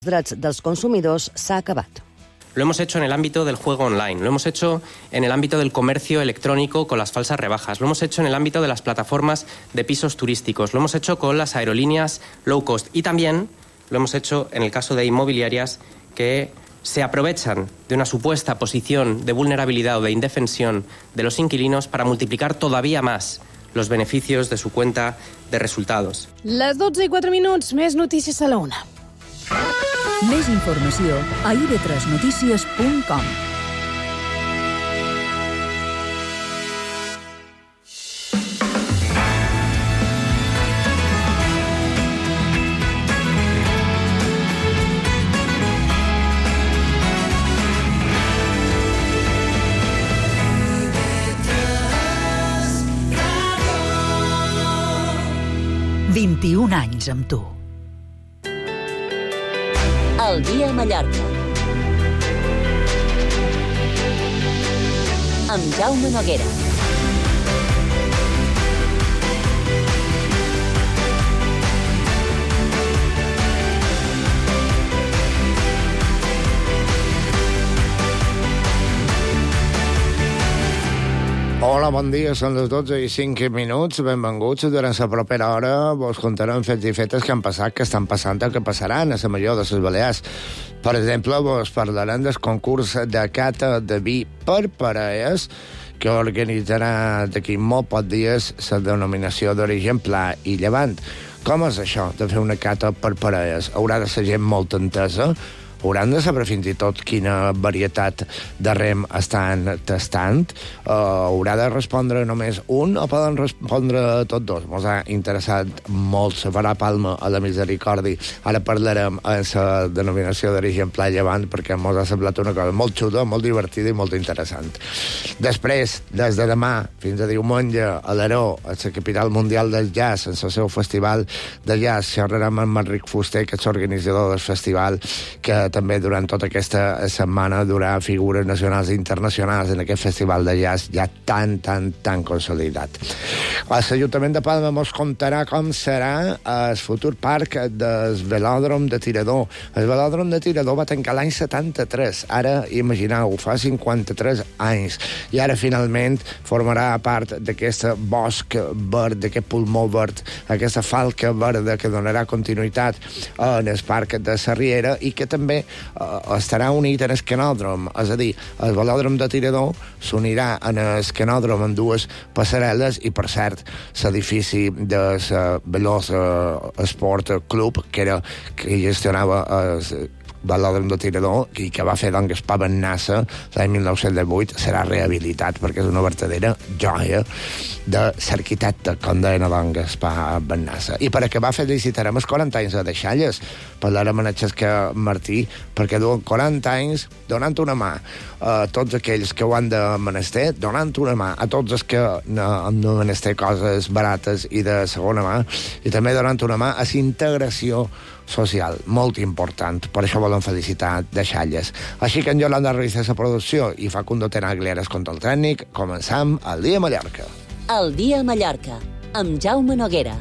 drets dels consumidors s'ha acabat. Lo hemos hecho en el ámbito del juego online, lo hemos hecho en el ámbito del comercio electrónico con las falsas rebajas, lo hemos hecho en el ámbito de las plataformas de pisos turísticos, lo hemos hecho con las aerolíneas low cost y también lo hemos hecho en el caso de inmobiliarias que se aprovechan de una supuesta posición de vulnerabilidad o de indefensión de los inquilinos para multiplicar todavía más los beneficios de su cuenta de resultados. Les 12:04, més notícies a la 1. Més informació a ib3notícies.com. «21 anys amb tu». El dia a Mallorca. Amb Jaume Noguera. Hola, bon dia, són les 12:05. Benvinguts. Durant la propera hora vos contarem fets i fetes que han passat, que estan passant o que passaran a la major de les Balears. Per exemple, vos parlarem del concurs de cata de vi per parelles que organitzarà d'aquí molt pocs dies la denominació d'origen Pla i Llevant. Com és això de fer una cata per parelles? Haurà de ser gent molt entesa? Hauran de saber fins i tot quina varietat de rem estan tastant? Haurà de respondre només un o poden respondre tots dos? Ens ha interessat molt la farà Palma a la Misericòrdia. Ara parlarem en la denominació d'origen Pla i Llevant perquè ens ha semblat una cosa molt xuda, molt divertida i molt interessant. Després, des de demà fins a diumenge, a l'Aró, a la capital mundial del jazz, en el seu festival de jazz, xerrarem amb Enric Fuster, que és l'organitzador del festival, que també durant tota aquesta setmana durà figures nacionals i internacionals en aquest festival de jazz ja tan consolidat. L'Ajuntament de Palma ens contarà com serà el futur parc del velòdrom de Tirador. El velòdrom de Tirador va tancar l'any 73. Ara, imagineu, fa 53 anys. I ara, finalment, formarà part d'aquest bosc verd, d'aquest pulmó verd, aquesta falca verda que donarà continuïtat en el parc de la Riera i que també estarà unit en el canòdrom, és a dir, el velòdrom de Tirador s'unirà en el canòdrom amb dues passarel·les i, per cert, l'edifici del Veloç Sport Club, que gestionava el velòdrom de Tirador i que va fer doncs Gaspar Bennassa l'any 1918, serà rehabilitat perquè és una verdadera joia de l'arquitecte, com deia doncs Gaspar Bennassa. I per acabar felicitarem els 40 anys de Deixalles. Parlarem amb el Xesca Martí perquè duen 40 anys donant una mà a tots aquells que ho han de menester, donant una mà a tots els que han de menester coses barates i de segona mà, i també donant una mà a la integració social, molt important. Per això volem felicitar Deixalles. Així que en Yolanda Ruiz és la producció i Facundo Tenaglia és control tècnic. Començam el dia a Mallorca. El dia a Mallorca, amb Jaume Noguera.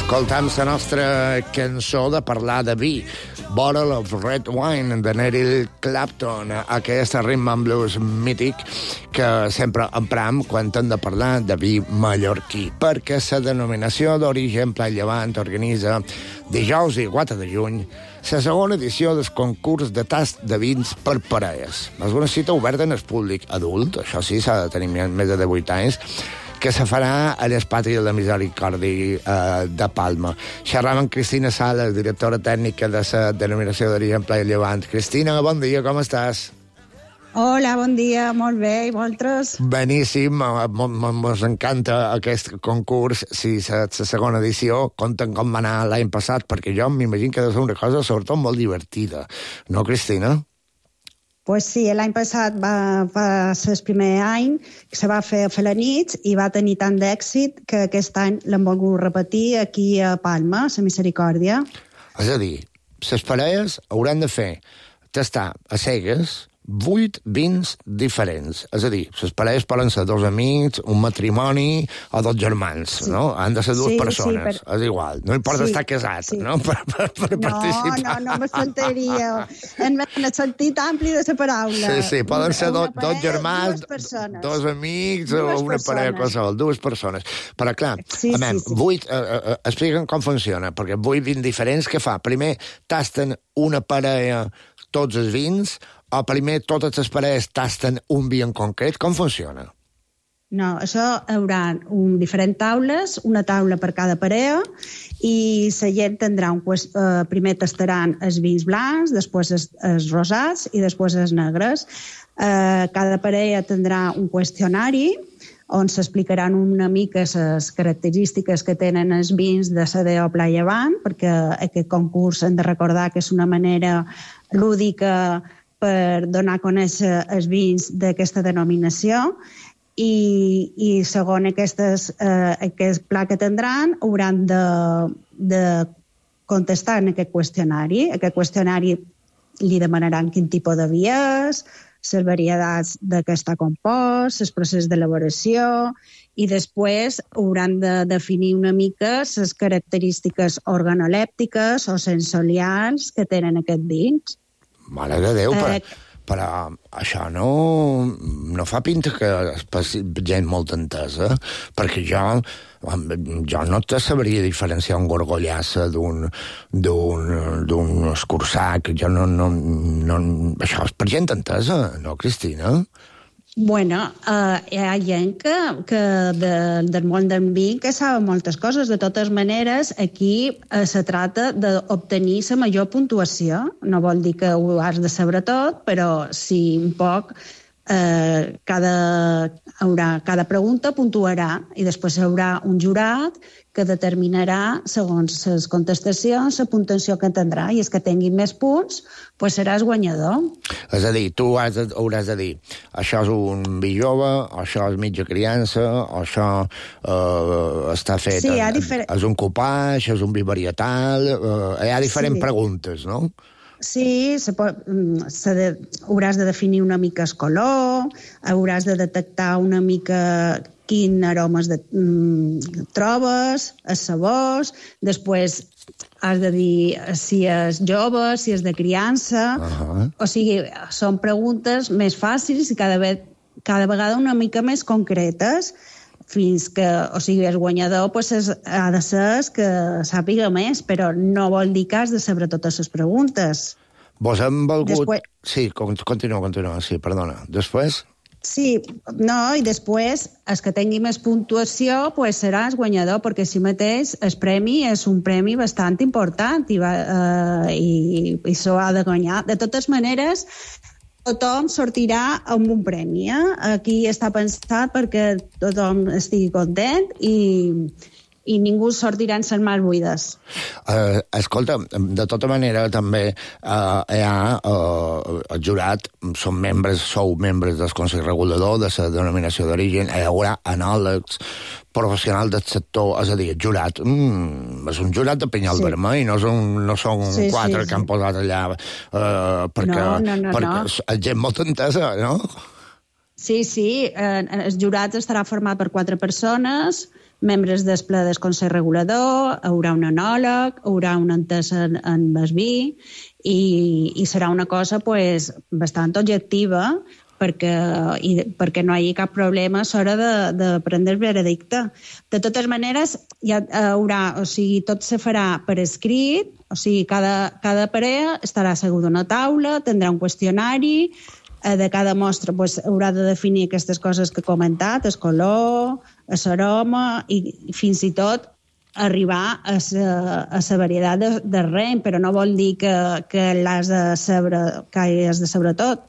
Escoltam la nostra cançó de parlar de vi, Bottle of Red Wine, de Eric Clapton, aquest rhythm and blues mític que sempre empram quan hem de parlar de vi mallorquí, perquè la denominació d'origen Pla i Llevant organitza dijous i 4 de juny la segona edició del concurs de tast de vins per parelles. És una cita oberta en el públic adult, això sí, s'ha de tenir més de 18 anys, que se farà a l'Espatri de la Misericòrdia de Palma. Xerram amb Cristina Sales, directora tècnica de la denominació d'origen Pla i Llevant. Cristina, bon dia, com estàs? Hola, bon dia, molt bé, i vosaltres? Beníssim, mos encanta aquest concurs, sí, la segona edició, compten com va anar l'any passat, perquè jo m'imagino que ha de ser una cosa sobretot molt divertida, no, Cristina? Pues sí, l'any passat va ser el primer any que se va fer a la nit i va tenir tant d'èxit que aquest any l'hem volgut repetir aquí a Palma, a la Misericòrdia. És a dir, les parelles hauran de fer tastar a cegues 8 vins diferents. És a dir, les parelles poden ser 2 amics, un matrimoni o 2 germans, sí. No? Han de ser 2 persones. És igual. No importa estar casat, no? Per participar. No me faltaria. En el sentit ampli de la paraula. Sí, poden ser 2 germans, 2 amics o una parella qualsevol, 2 persones. Però, clar, expliquen com funciona, perquè 8 vins diferents, què fa? Primer tasten una parella tots els vins, o primer totes les parelles tasten un vi en concret? Com funciona? No, això hi haurà diferents taules, una taula per cada parella, i la gent tindrà primer tastaran els vins blancs, després els rosats i després els negres. Cada parella tindrà un qüestionari on s'explicaran una mica les característiques que tenen els vins de la DO Pla Llevant, perquè aquest concurs hem de recordar que és una manera lúdica per donar a conèixer els vins d'aquesta denominació i segons aquest pla que tindran hauran de contestar en aquest qüestionari. Aquest qüestionari li demanaran quin tipus de vi és, les varietats de què està compost, el procés d'elaboració i després hauran de definir una mica les característiques organolèptiques o sensorials que tenen aquests vins. Mare de Déu, però això no fa pinta que gent molt entesa, perquè jo no te sabria diferenciar un gorgollassa d'un escurçac. Això és per gent entesa, no, Cristina? Bueno, hi ha gent que del món del vi que saben moltes coses. De totes maneres, aquí se trata d'obtenir la major puntuació. No vol dir que ho has de saber tot, però sí un poc cada pregunta puntuarà i després hi haurà un jurat que determinarà, segons les contestacions, la puntuació que tindrà, i els que tinguin més punts, pues seràs guanyador. És a dir, tu hauràs de dir això és un vi jove, això és mitja criança, això està fet... Sí, és un cupage, és un vi varietal... Hi ha diferents preguntes, no? Sí, hauràs de definir una mica el color, hauràs de detectar una mica quin aromes trobes, els sabors, després has de dir si és jove, si és de criança... O sigui, són preguntes més fàcils i cada vegada una mica més concretes, fins que, o sigui, el guanyador ha de ser que sàpiga més, però no vol dir que has de saber totes les preguntes. Vos hem volgut... Sí, continua, sí, perdona. Després... Sí, no, i després, els que tingui més puntuació, seràs guanyador, perquè si mateix el premi és un premi bastant important i s'ho ha de guanyar. De totes maneres, tothom sortirà amb un premi. Aquí està pensat perquè tothom estigui content i ningú sortirà en les mans buides. Escolta, de tota manera també hi ha el jurat, sou membres del Consell Regulador de la denominació d'origen, hi haurà anàlegs professionals del sector, és a dir, el jurat és un jurat de penyal vermell, no són quatre que han posat allà perquè és gent molt entesa, no? Sí, el jurat estarà format per 4 persones, membres del ple del Consell Regulador, hi haurà un enòleg, hi haurà un entès en el vi i serà una cosa bastant objectiva perquè no hi hagi cap problema a l'hora de prendre el veredicte. De totes maneres, ja haurà, o sigui, tot se farà per escrit, o sigui, cada parella estarà asseguda a una taula, tindrà un qüestionari, de cada mostra haurà de definir aquestes coses que he comentat, el color, l'aroma i fins i tot arribar a la varietat de rem, però no vol dir que l'has de saber tot.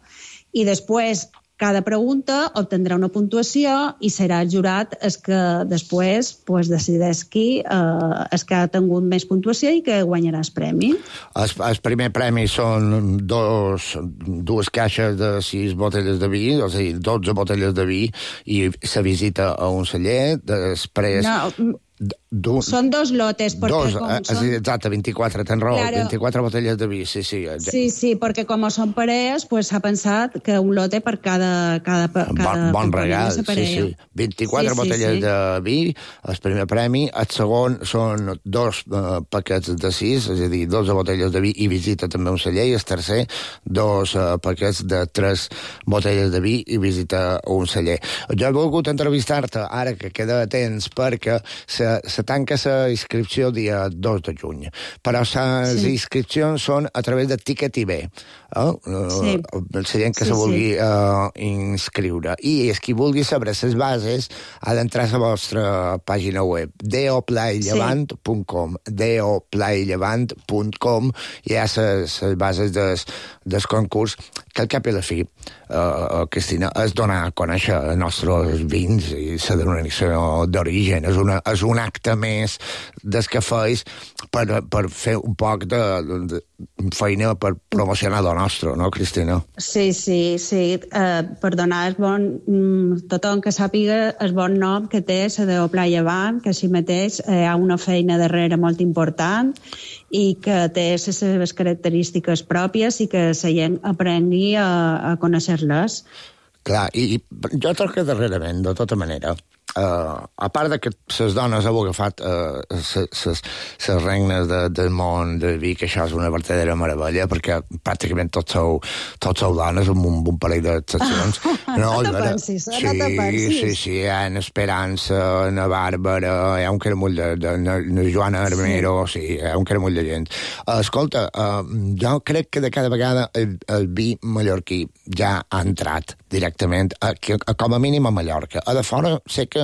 I després, cada pregunta obtindrà una puntuació i serà el jurat el que després decideix qui és que ha tingut més puntuació i que guanyarà el premi. El primer premi són dues caixes de 6 botelles de vi, o sigui, 12 botelles de vi, i se visita a un celler, després... No, són 2 lotes. Exacte, 24, tens raó, claro. 24 botelles de vi, sí. Sí, perquè com són parelles, s'ha pensat que un lote per cada bon regal, sí. 24 botelles de vi, el primer premi, el segon són 2 paquets de 6, és a dir, 12 botelles de vi i visita també un celler, i el tercer, 2 paquets de 3 botelles de vi i visita un celler. Jo he volgut entrevistar-te ara que queda temps perquè se tanca la inscripció dia 2 de juny, però les inscripcions són a través de Ticket IB. La gent que se vulgui inscriure. I qui vulgui saber les bases ha d'entrar a la vostra pàgina web, doplaylevant.com, doplaylevant.com, i hi ha les bases del concurs, que al cap i la fi, Cristina, és donar a conèixer els nostres vins i la denominació d'origen. És un acte més des que feis per fer un poc de feina per promocionar el nostre, no, Cristina? Sí. Per donar tothom que sàpiga el bon nom que té la de Pla Llevant, que així mateix hi ha una feina darrere molt important i que té les seves característiques pròpies i que la gent aprengui a conèixer-les. Clar, i jo trobo que darrerament, de tota manera, a part de que les dones heu agafat les regnes del món del vi, que això és una verdadera meravella, perquè pràcticament tots sou dones, amb un parell d'excepcions. No te pensis. Sí, hi ha en Esperança, en Bàrbara, hi ha un caramull de Joana Armero, sí, hi ha un caramull de gent. Escolta, jo crec que de cada vegada el vi mallorquí ja ha entrat directament, com a mínim a Mallorca. A de fora sé que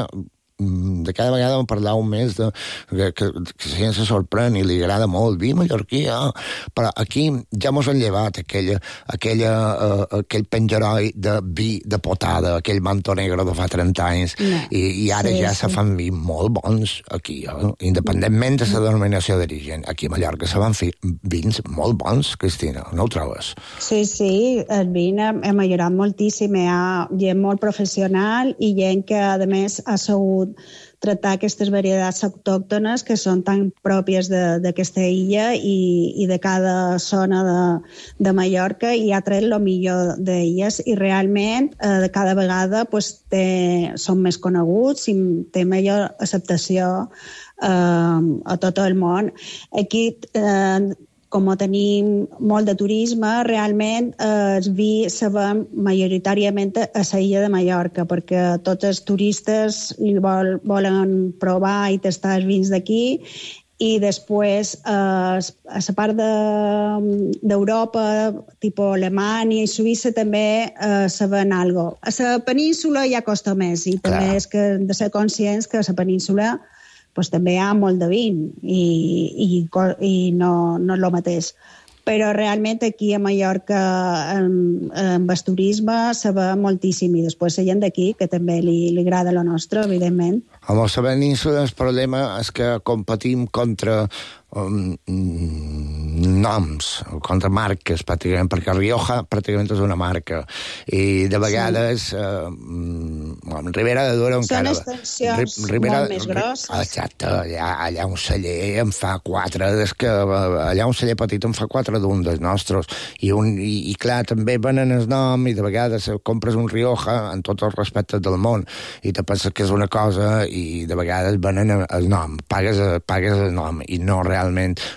de cada vegada em parleu més que la gent se sorprèn i li agrada molt el vi mallorquí, però aquí ja mos han llevat aquell penjaroi de vi de potada, aquell manto negre de fa 30 anys, i ara ja se fan vi molt bons aquí, independentment de la denominació d'origen. Aquí a Mallorca se van fer vins molt bons, Cristina, no ho trobes? Sí, el vin ha millorat moltíssim, hi ha gent molt professional i gent que a més ha sabut tractar aquestes varietats autòctones que són tan pròpies d'aquesta illa i de cada zona de Mallorca, i ha tret el millor d'elles, i realment cada vegada són més coneguts i té millor acceptació a tot el món. Aquí com tenim molt de turisme, realment el vi se ven majoritàriament a la illa de Mallorca, perquè tots els turistes volen provar i tastar els vins d'aquí, i després a la part d'Europa, tipus Alemanya i Suïssa, també se ven algo. A la península ja costa més, i també és que hem de ser conscients que a la península també hi ha molt de vin i no és el mateix. Però realment aquí a Mallorca amb el turisme se ve moltíssim, i després la gent d'aquí, que també li agrada el nostre, evidentment. A la península el problema és que competim contra noms, contra marques, pràcticament, perquè Rioja pràcticament és una marca, i de vegades Ribera de Duero encara... Són extensions molt més grosses. Exacte, allà un celler en fa 4, allà un celler petit en fa 4 d'un dels nostres, i clar, també venen el nom, i de vegades compres un Rioja en tots els respectes del món, i te penses que és una cosa, i de vegades venen el nom, pagues el nom, i no realment.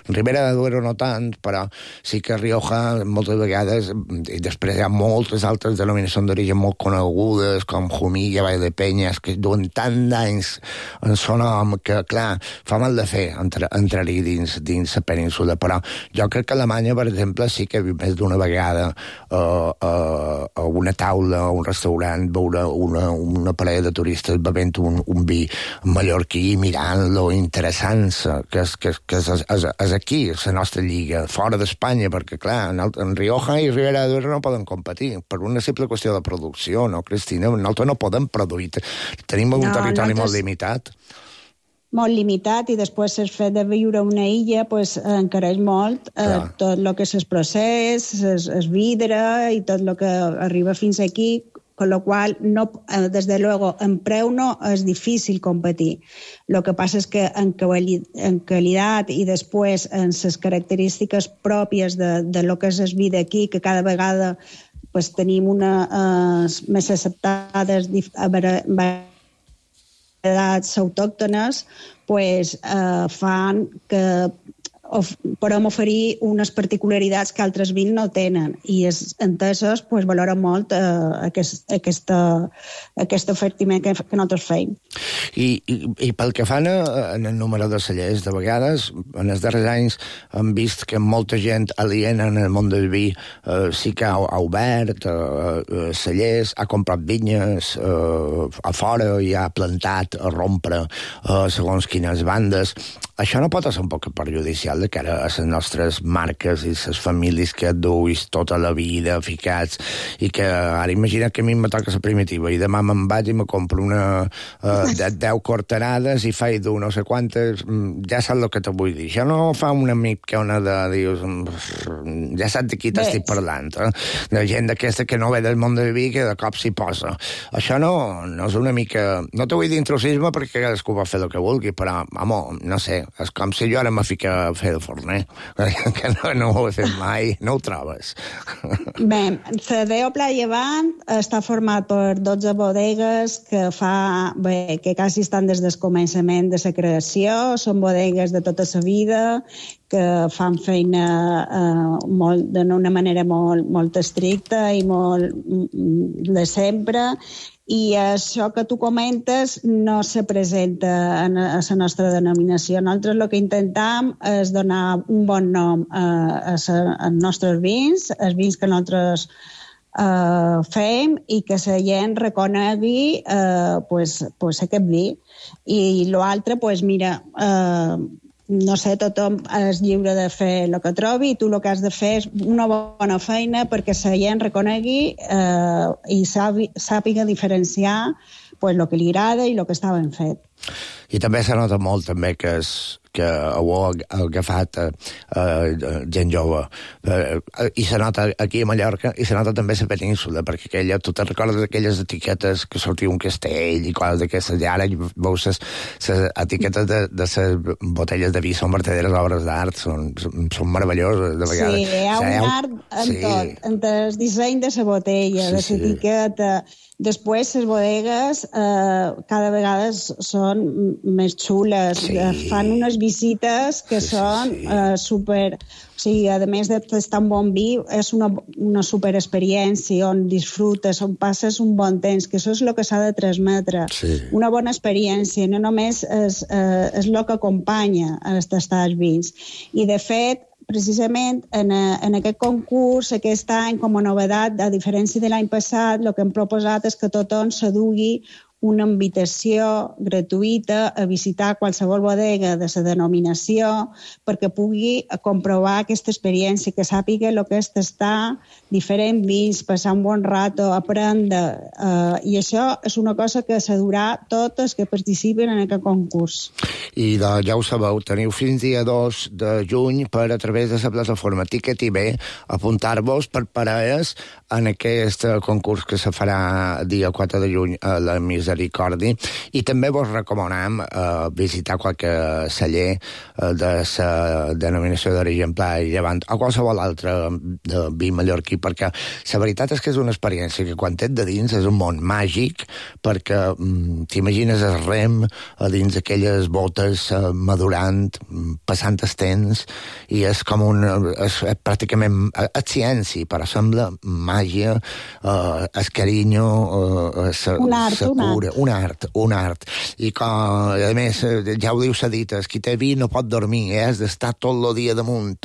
Ribera de Duero no tant, però sí que Rioja moltes vegades, i després hi ha moltes altres denominacions d'origen molt conegudes, com Jumilla, Vall de Penyes, que duen tant d'anys en son nom que, clar, fa mal de fer entrar-hi dins la península. Però jo crec que a Alemanya, per exemple, sí que he vist més d'una vegada a una taula, a un restaurant, veure una parella de turistes bevent un vi mallorquí mirant lo interessant que és aquí, la nostra lliga, fora d'Espanya, perquè, clar, en Rioja i Ribera d'Ebre no poden competir, per una simple qüestió de producció, no, Cristina? Nosaltres no podem produir, tenim un territori molt limitat. Molt limitat, i després el fet de viure a una illa pues, encareix molt tot el que és el procés, el vidre i tot el que arriba fins aquí, con lo qual, no, desde luego, en preu no és difícil competir. Lo que passa és que en qualitat i després en les característiques pròpies de lo que és el vi d'aquí, que cada vegada pues, tenim més acceptades edats autòctones, pues, fan que podem oferir unes particularitats que altres vins no tenen, i entesos pues, valoren molt aquest ofertiment que nosaltres feim. I pel que fan en el número de cellers, de vegades, en els darrers anys hem vist que molta gent aliena en el món del vi sí que ha obert cellers, ha comprat vinyes a fora i ha plantat a rompre segons quines bandes. Això no pot ser un poc perjudicial de cara a les nostres marques i les famílies que duis tota la vida ficats, i que ara imagina que a mi me toca la primitiva i demà me'n vaig i me compro una 10 corterades i faig dur no sé quantes, ja saps el que te vull dir. Això no fa una mica de dius, ja saps de qui t'estic parlant, de gent d'aquesta que no ve del món del vi que de cop s'hi posa. Això no és una mica, no te vull dir intrusisme perquè cadascú va fer el que vulgui, però, home, no sé, és com si jo ara me fica a fer de forner, que no ho he fet mai, no ho trobes? Bé, la Deo Pla Llevant està format per 12 bodegues que quasi estan des del començament de la creació, són bodegues de tota la vida, que fan feina d'una manera molt estricta i molt de sempre, i això que tu comentes no se presenta a la nostra denominació. Nosaltres el que intentem és donar un bon nom als nostres vins, els vins que nosaltres fem, i que la gent reconegui aquest vi. I l'altre, mira, no sé, tothom és lliure de fer el que trobi, i tu el que has de fer és una bona feina perquè la gent reconegui i sàpiga diferenciar el que li agrada i el que està ben fet. I també se nota molt també que ho ha agafat gent jove. I se nota aquí a Mallorca, i se nota també a la península, perquè tu te'n recordes d'aquelles etiquetes que sortia un castell i coses d'aquestes, i ara veus les etiquetes de les botelles de vi, són verdaderes obres d'art, són meravelloses de vegades. Sí, hi ha un art en tot, en el disseny de la botella, de l'etiqueta. Després, les bodegues cada vegada són més xules, fan unes visites que són super... O sigui, a més de tastar un bon vi, és una super experiència on disfrutes, on passes un bon temps, que això és el que s'ha de transmetre. Una bona experiència, no només és el que acompanya a tastar els vins. I, de fet, precisament en aquest concurs, aquest any, com a novetat, a diferència de l'any passat, el que hem proposat és que tothom s'adugui una invitació gratuïta a visitar qualsevol bodega de la denominació perquè pugui comprovar aquesta experiència, que sàpiga el que és tastar diferents vins, passar un bon rato, aprendre. I això és una cosa que s'adurà totes que participen en aquest concurs. I ja ho sabeu, teniu fins dia 2 de juny per, a través de la plataforma Ticket IB, apuntar-vos per parelles en aquest concurs que se farà dia 4 de juny a la Misericordi, i també vos recomanem visitar qualque celler de la denominació d'origen Pla i Llevant o qualsevol altre de vi mallorquí, perquè la veritat és que és una experiència que quan t'ets de dins és un món màgic, perquè t'imagines el rem a dins aquelles botes madurant, passant el temps, i és com és pràcticament ciència, però sembla màgia, el carinyo, la cura, arquitectura, un art. I que, a més, ja ho diu Sadites, qui té vi no pot dormir, has d'estar tot el dia damunt,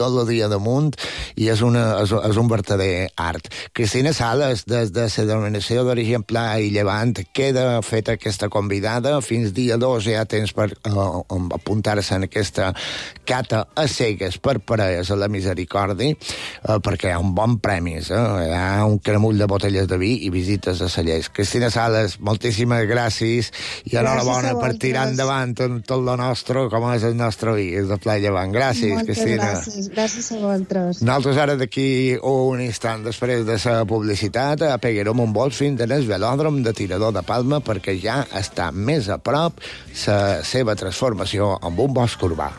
i és un verdader art. Cristina Sales, des de la denominació d'origen Pla i Llevant, queda feta aquesta convidada. Fins dia 2 ja tens per apuntar-se en aquesta cata a cegues per parelles a la Misericòrdia, perquè hi ha un bon premis, hi ha un cremull de botelles de vi i visites a cellers. Cristina Sales, moltíssimes gràcies i enhorabona per tirar endavant tot lo nostre, com és el nostre vi, és de Pla i Llevant. Gràcies, Cristina. Gràcies a vosaltres. Nosaltres ara d'aquí un instant després de la publicitat apeguerem un vol fins al velòdrom de Tirador de Palma perquè ja està més a prop la seva transformació en un bosc urbà.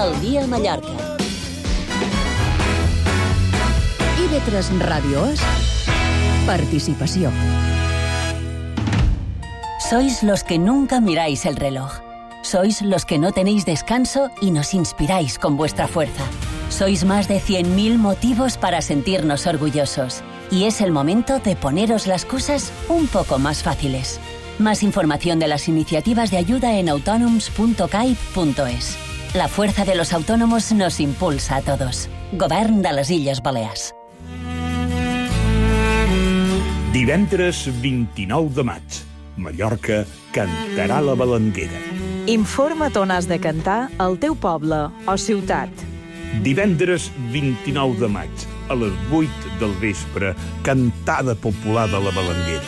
El dia a Mallorca. IB3 Ràdio és participació. Sois los que nunca miráis el reloj. Sois los que no tenéis descanso y nos inspiráis con vuestra fuerza. Sois más de 100.000 motivos para sentirnos orgullosos. Y es el momento de poneros las cosas un poco más fáciles. Más información de las iniciativas de ayuda en autonoms.caip.es. La fuerza de los autónomos nos impulsa a todos. Govern de les Illes Balears. Divendres 29 de maig, Mallorca cantarà la Balanguera. Informa't on has de cantar al teu poble o ciutat. Divendres 29 de maig, a les 8 del vespre, cantada popular de la Balanguera.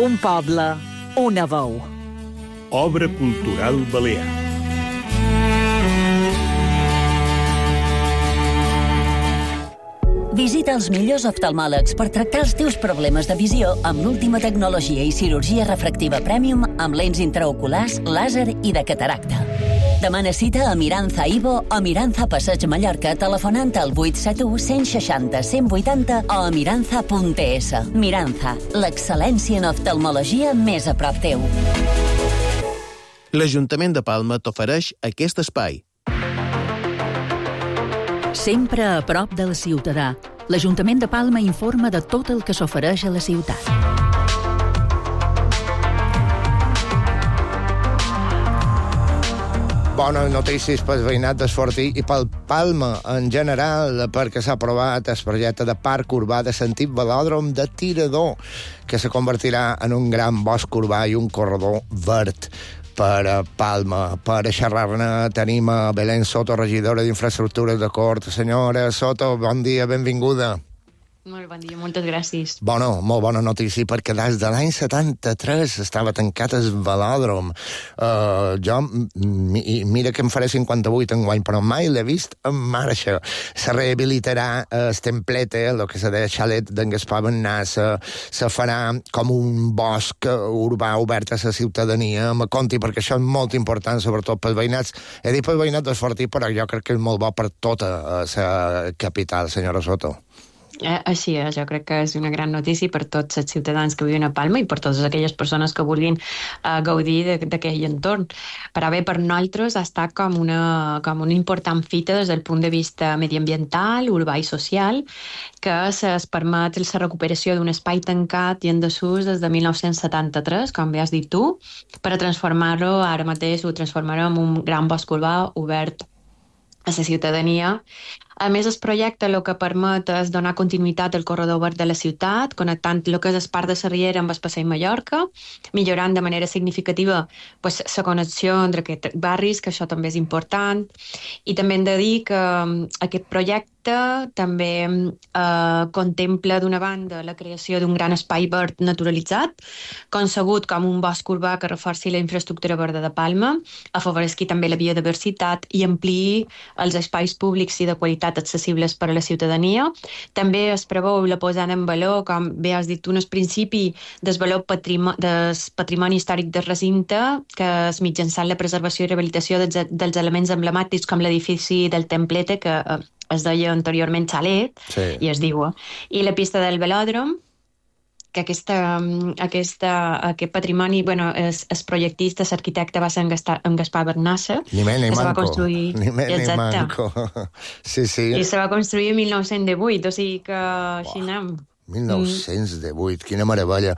Un poble, una veu. Obra cultural balear. Visita els millors oftalmòlegs per tractar els teus problemes de visió amb l'última tecnologia i cirurgia refractiva Premium amb lents intraoculars, làser i de cataracta. Demana cita a Miranza Ivo o Miranza Passeig Mallorca telefonant al 871 160 180 o a miranza.es. Miranza, l'excel·lència en oftalmologia més a prop teu. L'Ajuntament de Palma t'ofereix aquest espai. Sempre a prop del ciutadà, l'Ajuntament de Palma informa de tot el que s'ofereix a la ciutat. Bones notícies pel veïnat d'Esfortí i pel Palma en general, perquè s'ha aprovat el projecte de parc urbà de sentit velòdrom de Tirador, que se convertirà en un gran bosc urbà i un corredor verd per Palma. Per xerrar-ne tenim a Belén Soto, regidora d'Infraestructures de Cort. Senyora Soto, bon dia, benvinguda. Molt bon dia, moltes gràcies. Bueno, molt bona notícia, perquè des de l'any 73 estava tancat el velòdrom. Mira que em faré 58 enguany, però mai l'he vist en marxa. Se rehabilitarà el templete, el que se deia xalet d'en Gaspar Bennàs, se farà com un bosc urbà obert a la ciutadania. Me conti, perquè això és molt important, sobretot pels veïnats. He dit pel veïnat d'Esfortí, però jo crec que és molt bo per tota la capital, senyora Soto. Així és, jo crec que és una gran notícia per tots els ciutadans que viuen a Palma i per totes aquelles persones que vulguin gaudir d'aquell entorn. Però bé, per nosaltres ha estat com una important fita des del punt de vista mediambiental, urbà i social, que es permet la recuperació d'un espai tancat i en desús des de 1973, com bé has dit tu, per a transformar-lo, ara mateix ho transformarem en un gran bosc urbà obert a la ciutadania. A més, el projecte el que permet és donar continuïtat al corredor verd de la ciutat, connectant el que és el Parc de la Riera amb el Passeig Mallorca, millorant de manera significativa la connexió entre aquests barris, que això també és important. I també hem de dir que aquest projecte també contempla, d'una banda, la creació d'un gran espai verd naturalitzat, concebut com un bosc urbà que reforci la infraestructura verda de Palma, afavoresqui també la biodiversitat i ampliï els espais públics i de qualitat accessibles per a la ciutadania. També es preveu la posada en valor, com bé has dit tu, en el principi del valor del patrimoni històric del recinte, que és mitjançant la preservació i rehabilitació dels elements emblemàtics com l'edifici del templete, que es deia anteriorment xalet, sí, i es diu, i la pista del velòdrom, que aquest patrimoni, el projectista, l'arquitecte va ser en Gaspar Bernassa, ni més ni que se va manco. construir... Ni més ni manco. Sí. I se va construir en 1918, o sigui que així anem. 1918, quina meravella.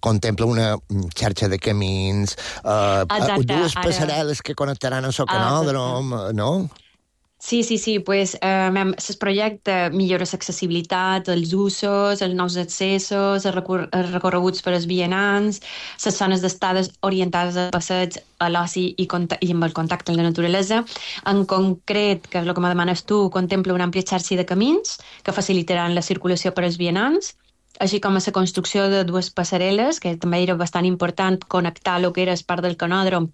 Contempla una xarxa de camins, dues passarel·les que connectaran amb el canòdrom, no? Sí, pues es projecte millora l'accessibilitat, els usos, els nous accessos, els recorreguts per als vianants, les zones d'estades orientades a passeig, a l'oci i amb el contacte amb la naturalesa. En concret, que és el que me demanes tu, contempla una àmplia xarxa de camins que facilitaran la circulació per als vianants, així com a la construcció de dues passarel·les, que també era bastant important connectar el que era el parc del canòdrom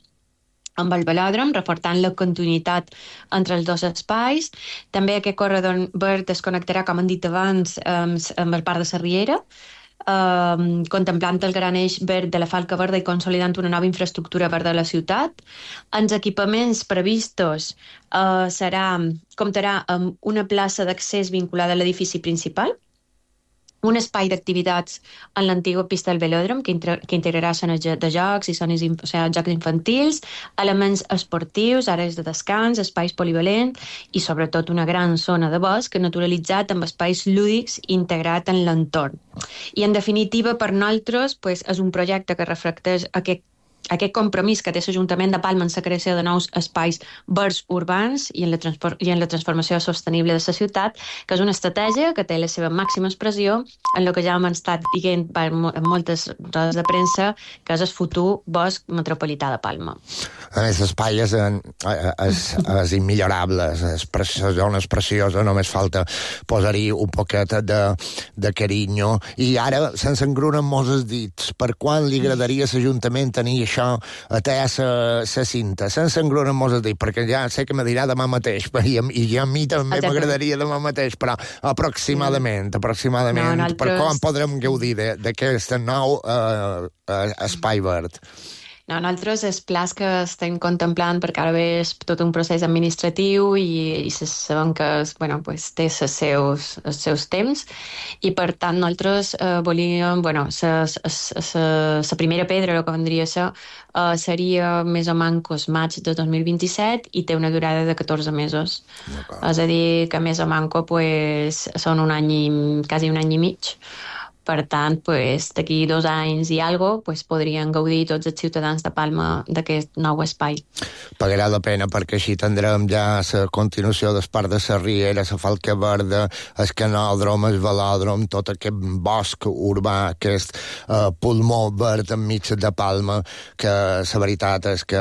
amb el velòdrom, reforçant la continuïtat entre els dos espais. També aquest corredor verd es connectarà, com hem dit abans, amb el parc de la Riera, contemplant el gran eix verd de la Falca Verda i consolidant una nova infraestructura verda de la ciutat. Els equipaments previstos comptarà amb una plaça d'accés vinculada a l'edifici principal, un espai d'activitats en l'antiga pista del velòdrom que integrarà zones de jocs i zones, jocs infantils, elements esportius, àrees de descans, espais polivalents i sobretot una gran zona de bosc naturalitzat amb espais lúdics integrat en l'entorn. I en definitiva, per nosaltres, és un projecte que reflecteix aquest compromís que té l'Ajuntament de Palma en la creació de nous espais verds urbans i en la transformació sostenible de la ciutat, que és una estratègia que té la seva màxima expressió en el que ja hem estat dient en moltes rodes de premsa, que és el futur bosc metropolità de Palma. A més, l'espai és immillorable, la zona és preciosa, només falta posar-hi un poquet de carinyo. I ara se'ns engrunen molts els dits. Per quan li agradaria a l'Ajuntament tenir això a la cinta? Se'ns engrunen molts els dits, perquè ja sé que me dirà demà mateix, i a mi també m'agradaria demà mateix, però aproximadament, per quan podrem gaudir d'aquest nou espai verd? No, nosaltres els plans que estem contemplant, perquè ara ve tot un procés administratiu i sabem que té els seus temps, i per tant nosaltres volíem, la primera pedra, el que vendria a ser, seria més o menys maig de 2027 i té una durada de 14 mesos. És a dir, que més o menys són quasi un any i mig. Per tant, d'aquí 2 anys i alguna podrien gaudir tots els ciutadans de Palma d'aquest nou espai. Pagarà la pena, perquè així tindrem ja la continuació del parc de la Riera, la Falca Verda, el canòdrom, el velòdrom, tot aquest bosc urbà, aquest pulmó verd enmig de Palma, que la veritat és que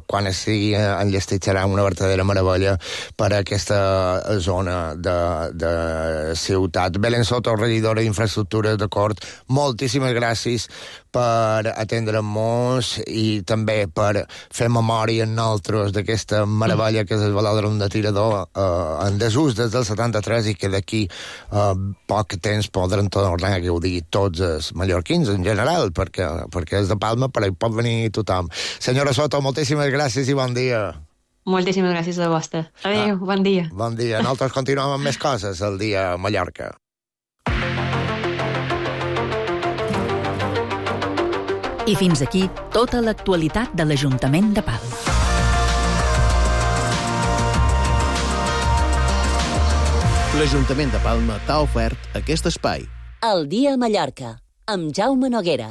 quan estigui enllestit serà una verdadera meravella per a aquesta zona de ciutat. Belén Soto, regidora d'Infraestructures, d'acord, moltíssimes gràcies per atendre-nos i també per fer memòria en nosaltres d'aquesta meravella que és el velòdrom de Tirador en desús des del 73 i que d'aquí poc temps podran tornar a gaudir tots els mallorquins en general, perquè és de Palma, però hi pot venir tothom. Senyora Soto, moltíssimes gràcies i bon dia. Moltíssimes gràcies a vostè. Adéu, bon dia. Bon dia. Nosaltres continuem amb més coses el dia a Mallorca. I fins aquí tota l'actualitat de l'Ajuntament de Palma. L'Ajuntament de Palma t'ha ofert aquest espai. El dia a Mallorca, amb Jaume Noguera.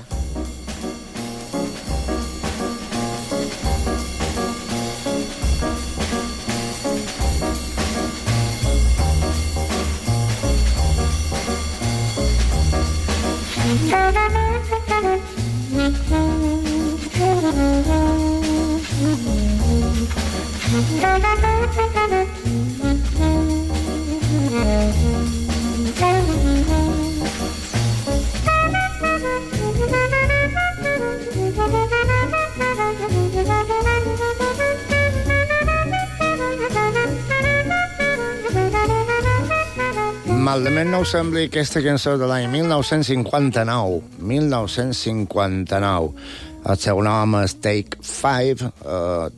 Malament no us sembli aquesta cançó de l'any 1959. 1959. El seu nom és Take 5.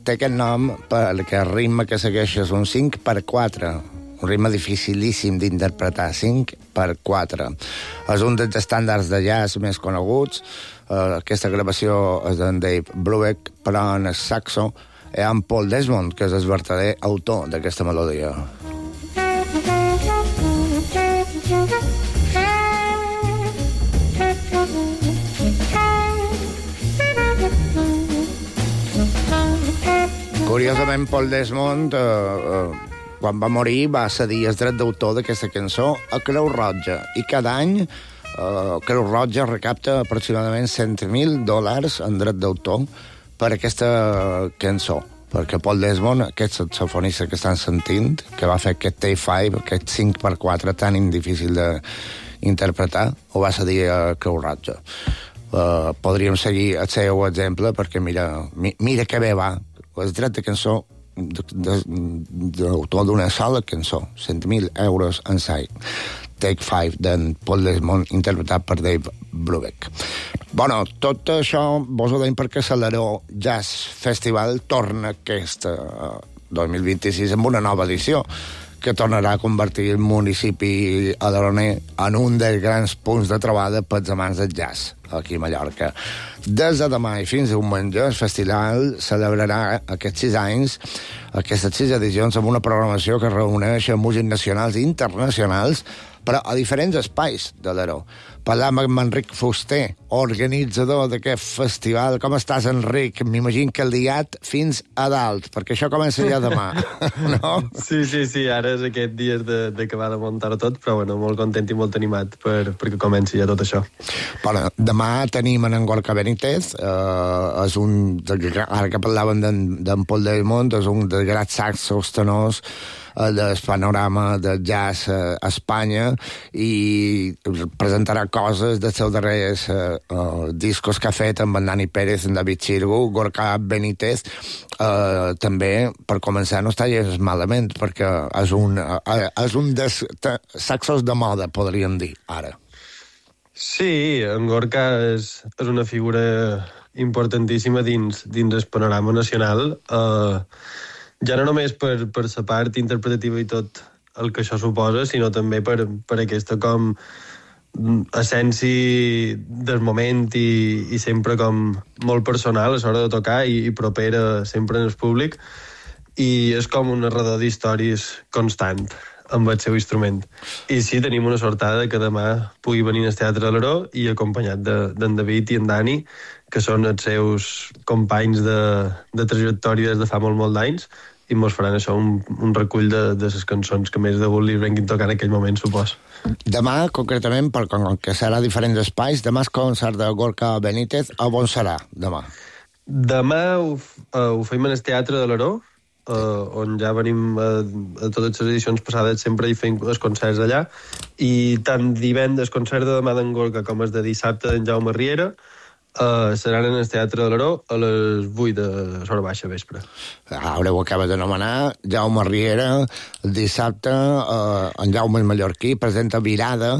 Té aquest nom perquè el ritme que segueix és un 5/4. Un ritme dificilíssim d'interpretar. 5/4. 5x4. És un dels estàndards de jazz més coneguts. Aquesta gravació és d'en Dave Brubeck, però en el saxo hi ha en Paul Desmond, que és el verdader autor d'aquesta melodia. Curiosament, Paul Desmond, quan va morir, va cedir el dret d'autor d'aquesta cançó a Creu Roja. I cada any Creu Roja recapta aproximadament $100,000 en dret d'autor per aquesta cançó. Perquè Paul Desmond, aquest saxofonista que estan sentint, que va fer aquest Take 5, aquest 5x4 tan indifícil d'interpretar, ho va cedir a Creu Roja. Podríem seguir el seu exemple, perquè mira que bé va. El dret de cançó d'autor d'una sola cançó, €100,000 en sai. Take 5, d'en Paul Desmond, interpretat per Dave Brubeck. Bueno, tot això vos ho deim perquè l'Alaró Jazz Festival torna aquest 2026 amb una nova edició, que tornarà a convertir el municipi alaroner en un dels grans punts de trobada pels amants del jazz, aquí a Mallorca. Des de demà i fins diumenge, el festival celebrarà aquests 6 anys, aquestes 6 edicions, amb una programació que reuneix músics nacionals i internacionals, però a diferents espais de l'Alaró. Parlam amb Enric Fuster, organitzador d'aquest festival. Com estàs, Enric? M'imagino que liat fins a dalt, perquè això comença ja demà, no? Sí, ara és aquest dia d'acabar de muntar tot, però bueno, molt content i molt animat perquè comenci ja tot això. Bueno, demà tenim en Gorka Benítez, és un, ara que parlàvem d'en Paul Desmond, és un dels grans saxos tenors del panorama del jazz a Espanya, i presentarà coses dels seus darrers discos que ha fet amb en Dani Pérez, en David Xirgu. Gorka Benítez també, per començar, no està gens malament, perquè és un dels saxos de moda, podríem dir, ara. Sí, en Gorka és una figura importantíssima dins el panorama nacional, ja no només per la part interpretativa i tot el que això suposa, sinó també per aquesta com essència del moment i sempre com molt personal a l'hora de tocar i propera sempre en el públic, i és com un narrador d'històries constant amb el seu instrument. I sí, tenim una sortada que demà pugui venir al Teatre de l'Alaró i acompanyat d'en David i en Dani, que són els seus companys de trajectòria des de fa molt d'anys, i mos faran això, un recull de les cançons que més de gust li venguin tocant en aquell moment, supos. Demà, concretament, perquè serà diferents espais, demà és concert de Gorka Benítez. A on serà, demà? Demà ho fem en el Teatre de l'Alaró, on ja venim a totes les edicions passades, sempre hi fem els concerts allà, i tant divendres, concert de demà d'en Gorka, com el de dissabte d'en Jaume Riera, seran en el Teatre de l'Alaró a les 8 de l'hora baixa vespre. Ara ho acabes d'anomenar, Jaume Riera, el dissabte, en Jaume Mallorquí presenta Virada,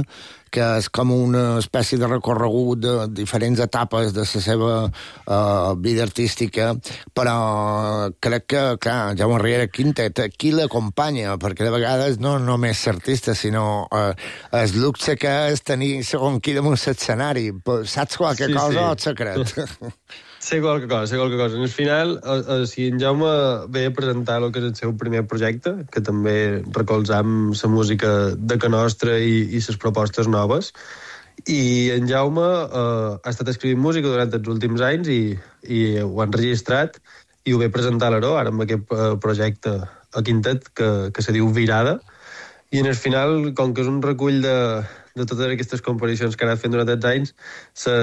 que és com una espècie de recorregut de diferents etapes de la seva vida artística, però crec que, clar, Jaume Riera Quintet, qui l'acompanya? Perquè de vegades no només l'artista, sinó el luxe que és tenir segon qui damunt l'escenari. Saps qualque cosa o et secret? Sé qualque cosa. En el final, si en Jaume ve a presentar el que és el seu primer projecte, que també recolzam la música de Can Nostra i les propostes noves, i en Jaume ha estat escrivint música durant els últims anys i ho ha enregistrat i ho ve a presentar a l'Alaró, ara amb aquest projecte a Quintet que se diu Virada, i en el final, com que és un recull de totes aquestes composicions que ha anat fent durant aquests anys,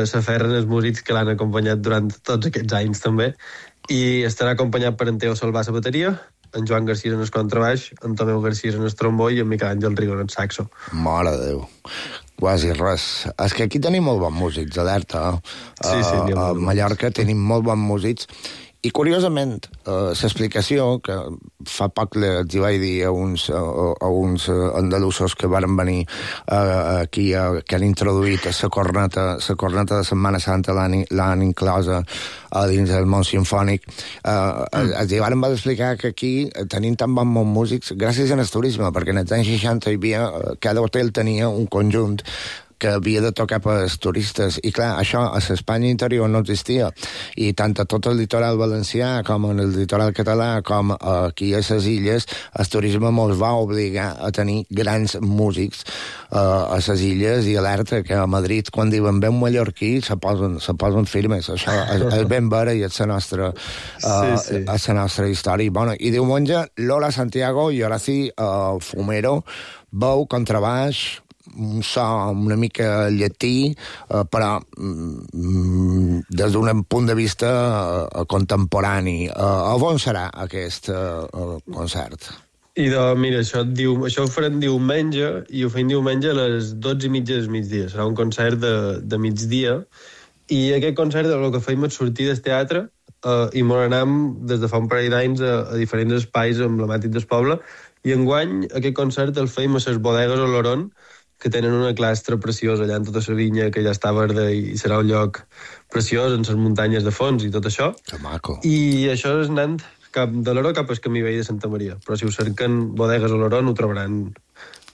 s'aferren els músics que l'han acompanyat durant tots aquests anys també, i estarà acompanyat per en Teo Salvà a la bateria, en Joan García en el contrabaix, en Tomeu García en el trombó i en Miquel Àngel Rigo en el saxo. Mare de Déu, quasi res. És que aquí tenim molt bons músics, alerta. Sí, a Mallorca tenim molt bons músics, I, curiosament, l'explicació, que fa poc els hi vaig dir a uns andalusos que van venir aquí, que han introduït la corneta de Setmana Santa, l'han inclosa dins del món sinfònic, els hi van explicar que aquí tenim tan bons músics gràcies al turisme, perquè en els anys 60 cada hotel tenia un conjunt que havia de tocar per als turistes. I clar, això a l'Espanya interior no existia. I tant a tot el litoral valencià com en el litoral català com aquí a les illes, el turisme ens va obligar a tenir grans músics a les illes, i alerta que a Madrid, quan diuen ben mallorquí, se posen firmes. Això és ben vera i és la nostra, la nostra història. Bueno, i diumenge, Lola Santiago i Horaci Fumero, veu, contrabaix, un so una mica llatí, però des d'un punt de vista contemporani. On serà aquest concert? Mira, això ho farem diumenge, i ho fem diumenge a les 12:30 del migdia. Serà un concert de migdia, i aquest concert el que fem és sortir del teatre i ens anem des de fa un parell d'anys a diferents espais emblemàtics del poble, i enguany aquest concert el fem a les bodegues Oloron, que tenen una clastra preciosa allà en tota la vinya, que ja està verda, i serà un lloc preciós, en les muntanyes de fons i tot això. Que maco. I això és anant cap de l'Oro cap al camí vell de Santa Maria. Però si ho cerquen bodegues Oloron ho trobaran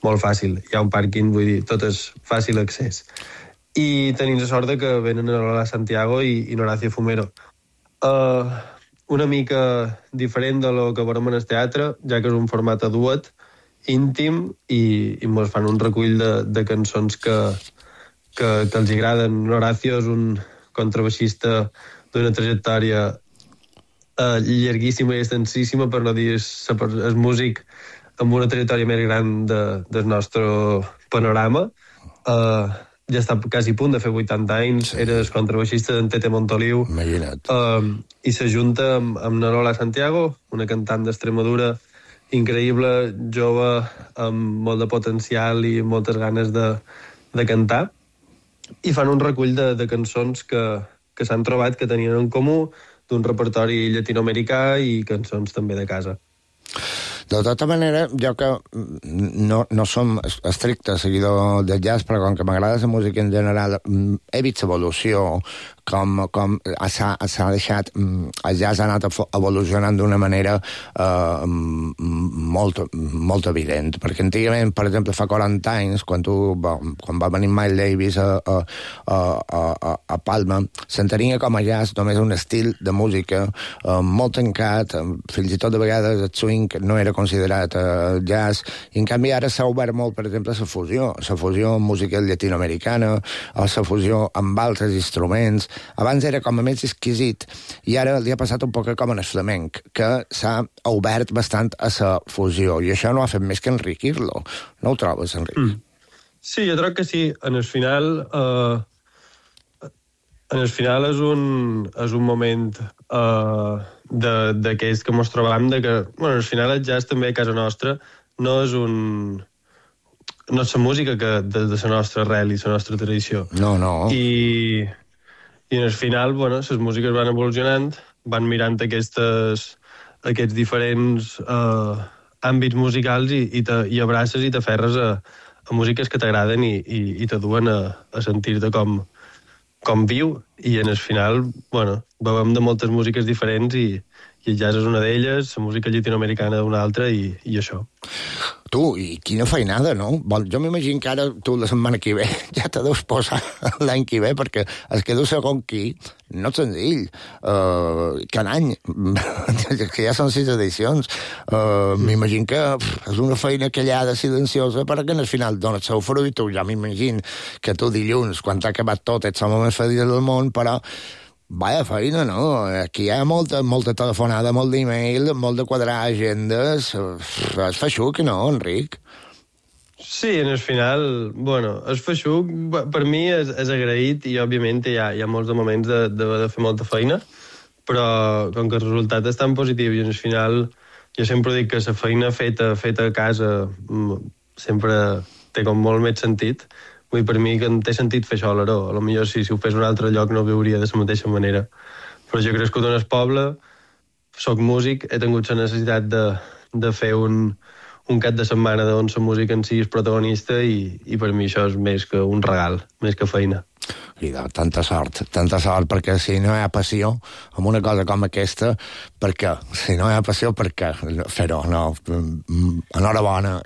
molt fàcil. Hi ha un pàrquing, vull dir, tot és fàcil accés. I tenim la sort de que venen a Lola Santiago i Horacio Fumero. Una mica diferent de lo que veurem en el teatre, ja que és un format a duet, íntim, i ens fan un recull de cançons que els agraden. Horacio és un contrabaixista d'una trajectòria llarguíssima i extensíssima, per no dir és músic amb una trajectòria més gran del nostre panorama. Ja està quasi a punt de fer 80 anys, era el contrabaixista d'en Tete Montoliu. Imagina't. I s'ajunta amb Lola Santiago, una cantant d'Extremadura increïble, jove, amb molt de potencial i moltes ganes de cantar, i fan un recull de cançons que s'han trobat, que tenien en comú, d'un repertori llatinoamericà i cançons també de casa. De tota manera, jo que no som estricte seguidor del jazz, però com que m'agrada la música en general, he vist evolució, com s'ha deixat, el jazz ha anat evolucionant d'una manera molt evident, perquè antigament, per exemple, fa 40 anys, quan va venir Miles Davis a Palma, s'entenia com a jazz només un estil de música molt tancat, fins i tot de vegades el swing no era considerat jazz, i en canvi ara s'ha obert molt, per exemple, la fusió amb música llatinoamericana, o la fusió amb altres instruments. Abans era com a més exquisit, i ara li ha passat un poc com en el flamenc, que s'ha obert bastant a la fusió, i això no ha fet més que enriquir-lo. No ho trobes, Enric? Sí, jo crec que sí. En el final és un moment d'aquells que ens trobam, que, bueno, al final el jazz també a casa nostra no és la música de la nostra arrel i la nostra tradició. No. I en el final, bueno, les músiques van evolucionant, van mirant aquests diferents àmbits musicals i abraces i t'aferres a músiques que t'agraden i t'aduen a sentir-te com viu. I en el final, bueno, veiem de moltes músiques diferents i el jazz és una d'elles, la música llatinoamericana una altra i això. Tu, i quina feinada, no? Jo m'imagino que ara tu la setmana que ve ja te deus posar l'any que ve, perquè es queda segon qui no és senzill. Cada any, que ja són 6 edicions, m'imagino que és una feina callada, silenciosa, perquè al final dones el fruit. Ja m'imagino que tu dilluns, quan t'ha acabat tot, ets l'home més feliç del món, però vaya feina, no? Aquí hi ha molta telefonada, molt d'email, molt de quadrar agendes. És feixuc, no, Enric? Sí, en el final, bueno, és feixuc. Per mi és agraït i, òbviament, hi ha molts moments de fer molta feina, però com que el resultat és tan positiu i en el final jo sempre dic que la feina feta a casa sempre té com molt més sentit. Vull, per mi, que em té sentit fer això a l'Aró. Potser si ho fes un altre lloc no ho veuria de la mateixa manera. Però jo he crescut en el poble, soc músic, he tingut la necessitat de fer un cap de setmana on la música en si és protagonista i per mi això és més que un regal, més que feina. I tanta sort, perquè si no hi ha passió en una cosa com aquesta, per què? Si no hi ha passió, per què fer-ho? No, enhorabona.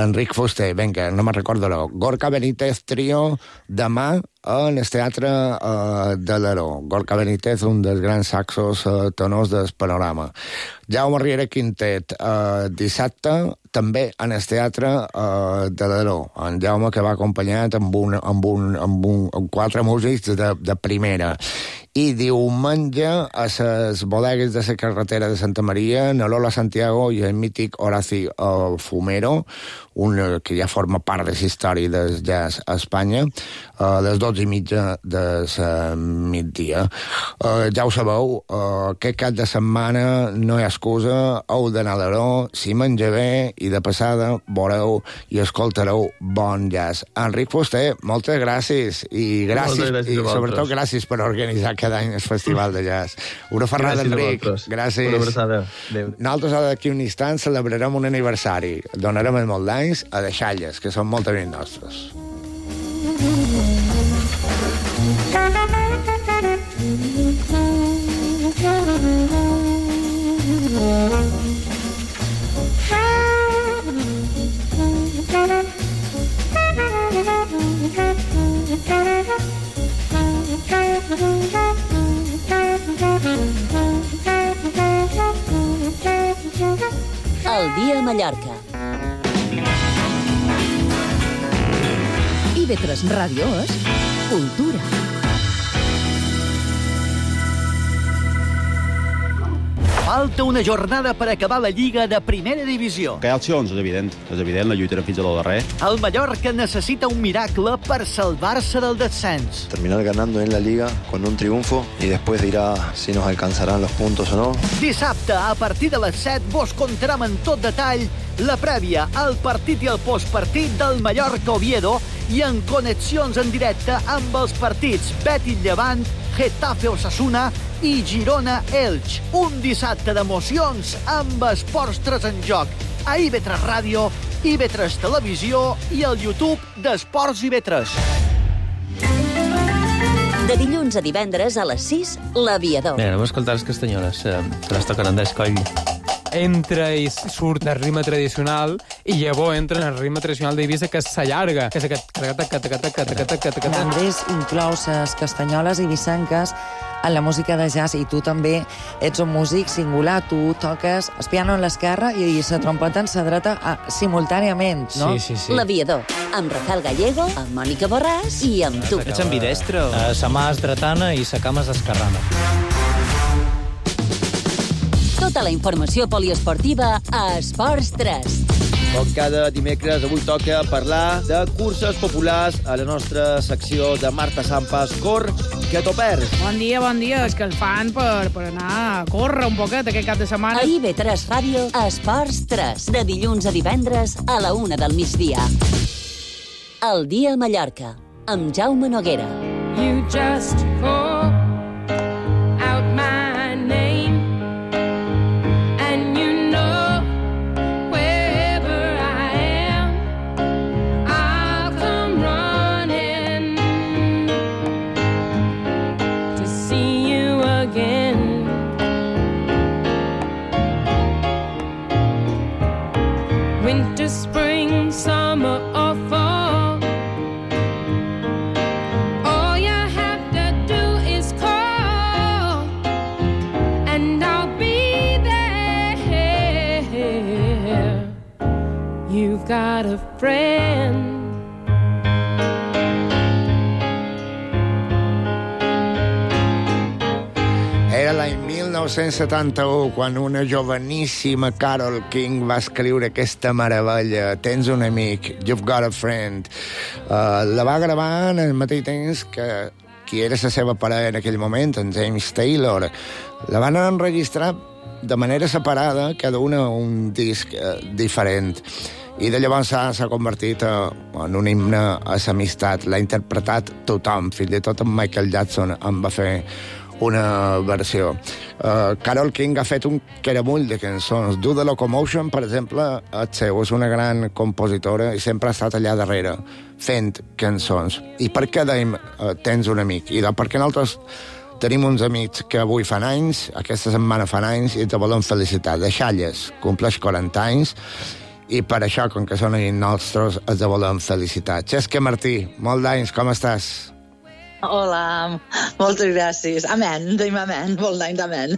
Enric Fuster, vinga, no me'n recordo, Gorka Benítez Trio, demà en el Teatre de l'Aró. Gorka Benítez, un dels grans saxos tenors del panorama. Jaume Riera Quintet, dissabte, també en el Teatre de l'Aró. En Jaume, que va acompanyat amb quatre músics de primera. I diumenge a les bodegues de la carretera de Santa Maria, na Lola Santiago i el mític Horaci Fumero, que ja forma part de la història del jazz a Espanya, a les 12:30 de migdia. Ja ho sabeu, aquest cap de setmana no hi ha excusa, heu d'anar a l'Aró, s'hi menja bé i de passada veureu i escoltareu bon jazz. Enric Fuster, moltes gràcies i sobretot gràcies per organitzar cada any el Festival de Jazz. Una ferrada, Enric. Gràcies. Una abraçada. Adéu. Nosaltres d'aquí un instant celebrarem un aniversari. Donarem els molt d'anys a deixalles, que són molt amics nostres. El dia a Mallorca. IB3 Ràdio és cultura. Falta una jornada per acabar la Lliga de Primera Divisió. Que hi ha opcions, és evident, la lluitarem fins a lo darrer. El Mallorca necessita un miracle per salvar-se del descens. Terminar ganando en la Liga con un triunfo y después dirá si nos alcanzarán los puntos o no. Dissabte, a partir de les 7, vos contarem en tot detall la prèvia, el partit i el postpartit del Mallorca-Oviedo i en connexions en directe amb els partits Betis-Llevant, Getafe-Osasuna i Girona-Elx. Un dissabte d'emocions amb Esports 3 en joc a IB3 Ràdio, IB3 Televisió i el YouTube d'Esports IB3. De dilluns a divendres a les 6, l'Aviador. Bé, anem a escoltar les castanyoles, que les tocaran d'escoll. Entra i surt el ritme tradicional i llavors entra en el ritme tradicional d'Eivissa, que s'allarga, que és aquest... Andrés inclou les castanyoles i vicenques en la música de jazz, i tu també ets un músic singular, tu toques el piano en l'esquerra i la trompeta en la dreta simultàniament, no? Sí. L'Aviador, amb Rafael Gallego, amb Mònica Borràs i amb tu. Ets ambidestre? Sa mà és dretana i sa cama és esquerrana. Tota la informació poliesportiva a Esports 3. Com cada dimecres, avui toca parlar de curses populars a la nostra secció de Marta Sampas. Cor, que t'ho perds. Bon dia. És que el fan per anar a córrer un poquet aquest cap de setmana. A IB3 Ràdio, Esports 3. De dilluns a divendres a la 1 del migdia. El dia a Mallorca, amb Jaume Noguera. You just call out my name. Winter, spring, summer or fall, all you have to do is call and I'll be there. You've got a friend. Era l'any 1971 quan una joveníssima Carole King va escriure aquesta meravella, Tens un amic, You've got a friend. La va gravar en el mateix temps que qui era la seva parella en aquell moment, en James Taylor. La van enregistrar de manera separada, cada una un disc diferent. I de llavors s'ha convertit en un himne a l'amistat. L'ha interpretat tothom, fins i tot en Michael Jackson en va fer una versió. Carole King ha fet un caramull de cançons. Do the Locomotion, per exemple, és seu, és una gran compositora i sempre ha estat allà darrere fent cançons. I per què dèiem tens un amic? I perquè nosaltres tenim uns amics que avui fan anys, aquesta setmana fan anys, i te volem felicitar. De Xalles, compleix 40 anys, i per això, com que són amics nostres, els volem felicitar. Xesca Martí, molt d'anys, com estàs? Hola, moltes gràcies. Amén, diguem amén, molt d'any d'amén.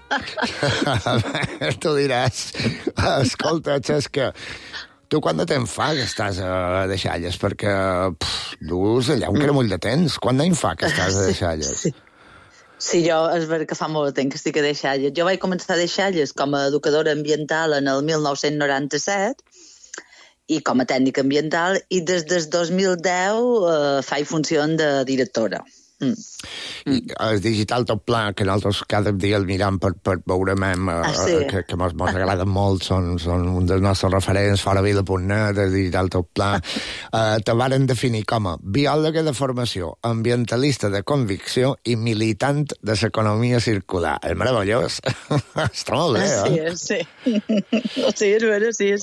Tu diràs. Escolta, Xesca, tu quant de temps fa que estàs a Deixalles? Perquè dus allà un caramull de temps. Quant d'any fa que estàs a Deixalles? Sí, jo és veritat que fa molt de temps que estic a Deixalles. Jo vaig començar a Deixalles com a educadora ambiental en el 1997 i com a tècnica ambiental, i des del 2010 faig funció de directora. I el Digital Top Pla, que nosaltres cada dia el miram per veure que mos agrada molt, són un dels nostres referents, foravila.net, el Digital Top Pla, te varen definir com a biòloga de formació, ambientalista de convicció i militant de l'economia circular. És meravellós. Està molt bé, Sí. Sí, és vera, sí.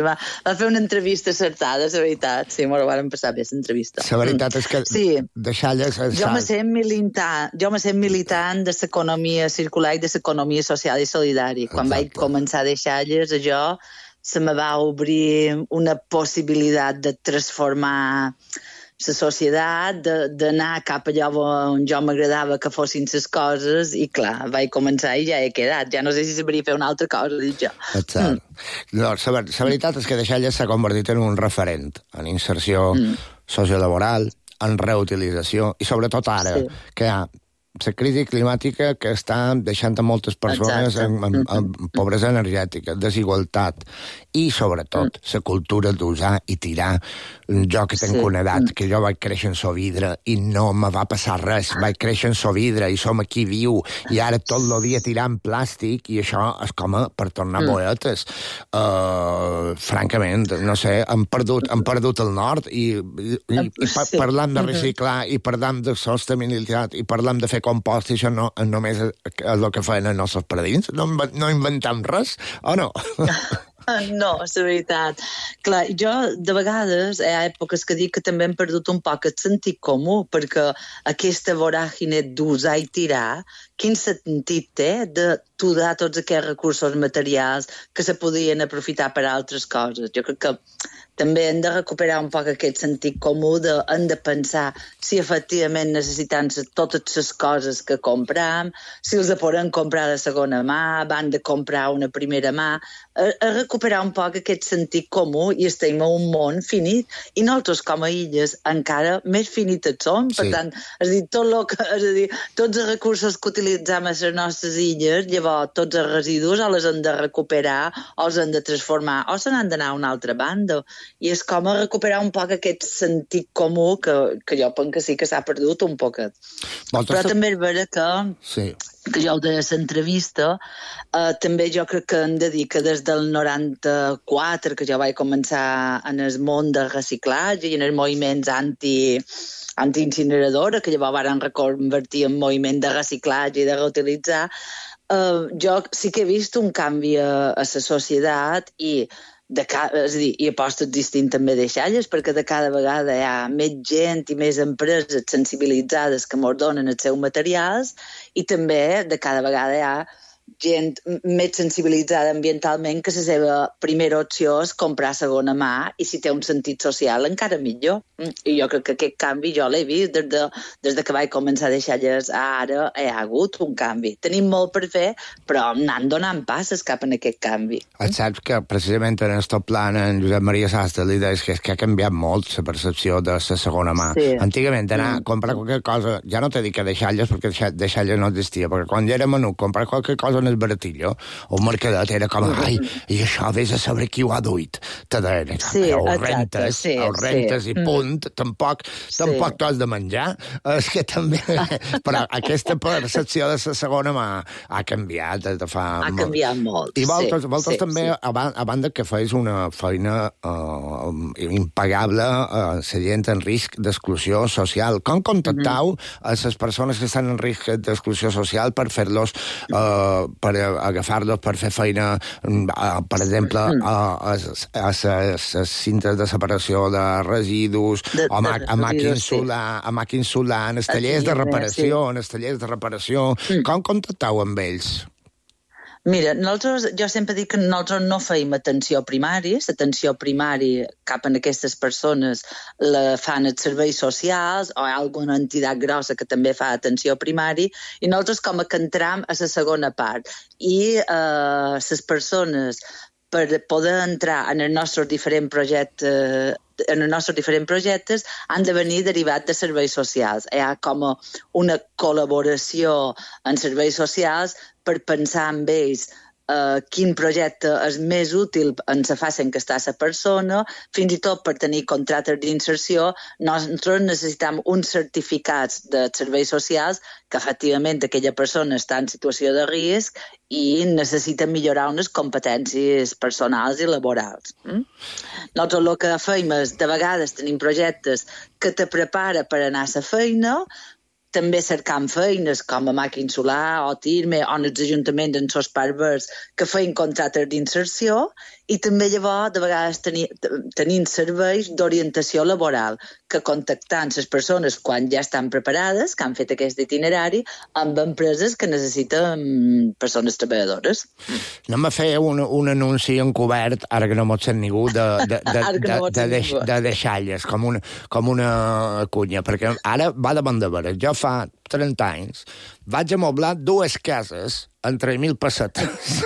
Va fer una entrevista acertada, la veritat. Sí, m'ho van passar bé, l'entrevista. La veritat és que Deixalles... Jo me sent militant de l'economia circular i de l'economia social i solidària. Quan vaig començar a Deixalles, allò se me va obrir una possibilitat de transformar la societat, d'anar cap allà on jo m'agradava que fossin les coses, i clar, vaig començar i ja he quedat. Ja no sé si sabria fer una altra cosa, dic jo. La veritat és que Deixalles s'ha convertit en un referent en inserció sociolaboral, en reutilització, i sobretot ara, que hi ha la crisi climàtica que està deixant a moltes persones en pobresa energètica, desigualtat, i sobretot la cultura d'usar i tirar. Jo que tenc una edat, que jo vaig créixer en Sovidre i no me va passar res, vaig créixer en Sovidre i som aquí viu, i ara tot el dia tirant plàstic, i això és com per tornar boetes. Francament, no sé, hem perdut el nord, i parlant de reciclar, i parlant de sostenibilitat, i parlant de fer compost, i això no només és el que feien els nostres paradins? No inventem res, o no? No, és la veritat. Clar, jo de vegades hi ha èpoques que dic que també hem perdut un poc el sentit comú, perquè aquesta voràgine d'usar i tirar, quin sentit té de tudar tots aquests recursos materials que se podien aprofitar per a altres coses? Jo crec que també hem de recuperar un poc aquest sentit comú, hem de pensar si efectivament necessitem totes les coses que compram, si els podem comprar de segona mà, van de comprar una primera mà, a recuperar un poc aquest sentit comú, i estem en un món finit, i nosaltres com a illes encara més finites som. Per tant, tots els recursos que utilitzem a les nostres illes, llavors tots els residus o els hem de recuperar o els hem de transformar o se n'han d'anar a una altra banda. I és com a recuperar un poc aquest sentit comú que jo penso que sí que s'ha perdut un poquet. Però també és vera que jo de l'entrevista també jo crec que em dedica des del 94, que jo vaig començar en el món del reciclatge i en els moviments anti-incineradora, que llavors van reconvertir en moviment de reciclatge i de reutilitzar. Jo sí que he vist un canvi a la societat, i aposto existint també Deixalles, perquè de cada vegada hi ha més gent i més empreses sensibilitzades que ens donen els seus materials, i també de cada vegada hi ha gent més sensibilitzada ambientalment que la seva primera opció és comprar segona mà, i si té un sentit social encara millor. I jo crec que aquest canvi jo l'he vist des de que vaig començar a Deixalles a ara. Hi ha hagut un canvi. Tenim molt per fer, però anant donant passes cap en aquest canvi. Saps que precisament en el top plan en Josep Maria Sastre li deia que ha canviat molt la percepció de la segona mà. Antigament anar a comprar qualque cosa, ja no t'he dit que Deixalles, perquè Deixalles no existia, perquè quan ja era menut comprar qualque cosa en el baratillo, un mercadet era com, ai, i això vés a saber qui ho ha duit. Te deien, ho rentes i punt, tampoc t'has de menjar. És que també... Però aquesta percepció de la segona ha canviat des de fa... Ha canviat molt, I vosaltres també, a banda que feis una feina impagable a la gent en risc d'exclusió social. Com contactau a les persones que estan en risc d'exclusió social per fer-los, per agafar-los per fer feina, per exemple, a les cintes de separació de residus, a màquines solar, en els tallers de reparació, Com contactau amb ells? Mira, jo sempre dic que nosaltres no feim atenció primària, l'atenció primària cap en aquestes persones la fan els serveis socials o alguna entitat grossa que també fa atenció primària, i nosaltres com que entram a la segona part. I les persones, per poder entrar en els nostres diferents projectes, han de venir derivat de serveis socials. Hi ha com una col·laboració en serveis socials per pensar amb ells quin projecte és més útil en la fase en què està la persona, fins i tot per tenir contractes d'inserció. Nosaltres necessitem uns certificats de serveis socials que efectivament aquella persona està en situació de risc i necessita millorar unes competències personals i laborals. Nosaltres el que fem és, de vegades tenim projectes que te prepara per anar a la feina, també cercant feines com a Màquina Solar o Tirme o en els ajuntaments en sos parts que feien contractes d'inserció, i també llavors de vegades tenim serveis d'orientació laboral que contactant les persones quan ja estan preparades, que han fet aquest itinerari, amb empreses que necessiten persones treballadores. Anem a fer un anunci encobert, ara que no m'ho sent ningú, de deixalles, com una cunya, perquè ara va de bandeveres. Jo fa 30 anys vaig amoblar 2 cases en 3.000 pessetes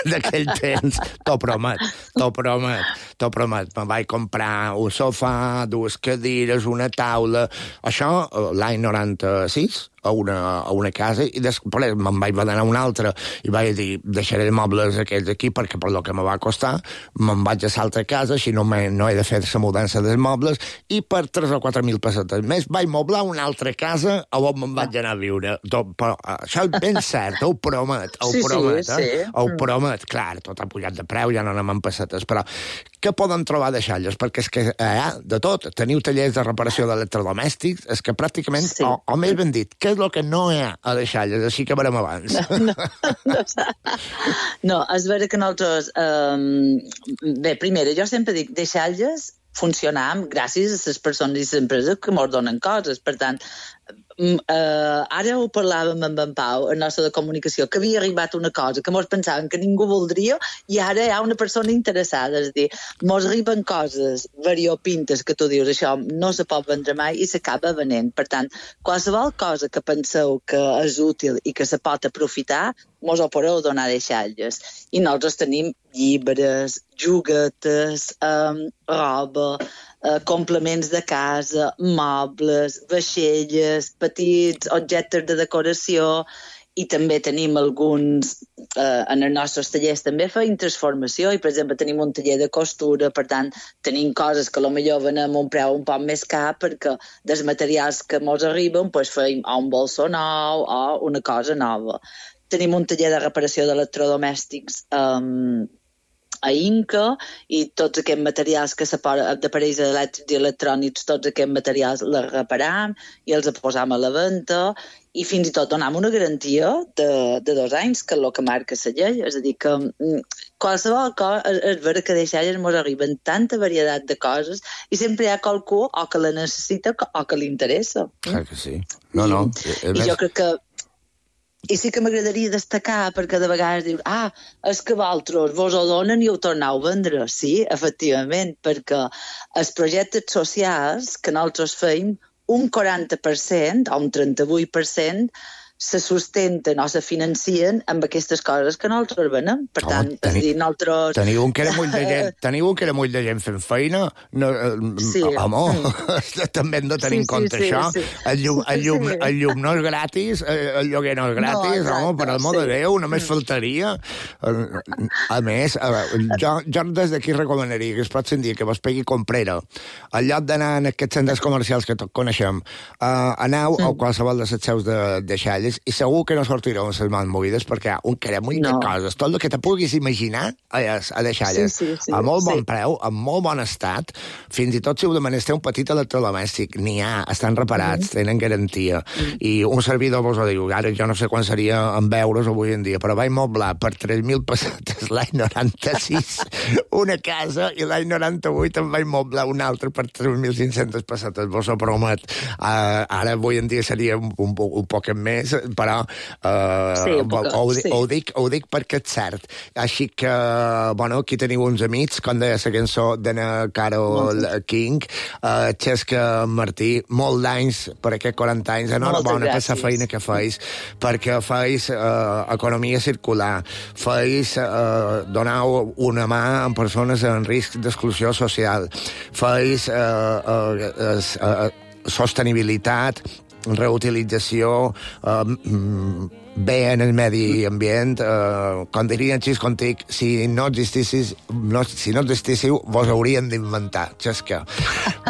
d'aquell temps. T'ho promet. Me vaig comprar un sofà, 2 cadires, una taula, això l'any 96, a una casa, i després me'n vaig anar a una altra i vaig dir, deixaré els mobles aquells aquí perquè per lo que me va costar, me'n vaig a l'altra casa, així no he de fer la mudança dels mobles, i per 3 o 4.000 pessetes més vaig moblar una altra casa on me'n vaig anar a viure. Però això és ben cert, ho promet. Ho promet. Clar, tot ha pujat de preu, ja no anem amb pessetes, però què poden trobar deixalles? Perquè és que hi ha de tot. Teniu tallers de reparació d'electrodomèstics, és que pràcticament, o més ben dit, què és el que no hi ha a deixalles? Així que veurem abans. No, és vera que nosaltres... Bé, primera, jo sempre dic, deixalles funcionam gràcies a les persones i les empreses que ens donen coses. Per tant, ara ho parlàvem amb en Pau, el nostre de comunicació, que havia arribat una cosa que mos pensaven que ningú voldria i ara hi ha una persona interessada. És a dir, mos arriben coses variopintes que tu dius, això no se pot vendre mai i s'acaba venent. Per tant, qualsevol cosa que penseu que és útil i que se pot aprofitar, mos ho podeu donar deixalles. I nosaltres tenim llibres, joguetes, roba, complements de casa, mobles, vaixelles, petits objectes de decoració, i també tenim alguns, en els nostres tallers també feim transformació, i per exemple tenim un taller de costura, per tant tenim coses que potser venem a un preu un poc més car perquè dels materials que mos arriben feim un bolso nou o una cosa nova. Tenim un taller de reparació d'electrodomèstics a Inca, i tots aquests materials que d'aparells elèctrics i electrònics, tots aquests materials els reparam i els posam a la venda, i fins i tot donam una garantia de 2 anys, que és el que marca la llei. És a dir, que qualsevol cosa, és vera que deixalles ens arriben tanta varietat de coses i sempre hi ha qualcú o que la necessita o que li interessa. Clar que sí. No. I jo crec que i sí que m'agradaria destacar, perquè de vegades dius, és que vosaltres vos ho donen i ho torneu a vendre. Sí, efectivament, perquè els projectes socials que nosaltres feim, un 40% o un 38% se sustenten o se financien amb aquestes coses que nosaltres venem. Per tant, és dir, nosaltres... Teniu un caramull de gent fent feina? També hem de tenir en compte això. El llum no és gratis, el lloguer no és gratis, per amor de Déu, només faltaria. A més, jo des d'aquí recomanaria que es pot sentir que vos pegui comprera. Al lloc d'anar en aquests centres comercials que tots coneixem, aneu a qualsevol de les seus de xalles i segur que no sortireu en les mans movides perquè hi ha un caramull de coses. Tot el que te puguis imaginar a les xalles. A molt bon preu, en molt bon estat. Fins i tot si ho demanes té un petit electrodomèstic, n'hi ha, estan reparats, tenen garantia. I un servidor vos ho diu, ara jo no sé quan seria en euros avui en dia, però vaig moblar per 3.000 pessetes l'any 96 una casa i l'any 98 em vaig moblar una altra per 3.500 pessetes, vos ho promet. Ara avui en dia seria un poc més, però ho dic perquè és cert. Així que, aquí teniu uns amics, com deia la cançó d'Anna Carol King, Xesca Martí, molt d'anys per aquests 40 anys, enhorabona per la feina que feis, perquè feis economia circular, feis donau una mà a persones en risc d'exclusió social, feis sostenibilitat, reutilització, bé en el medi ambient, com dirien Xiscontic, si no existíssiu, vos haurien d'inventar, Xesca.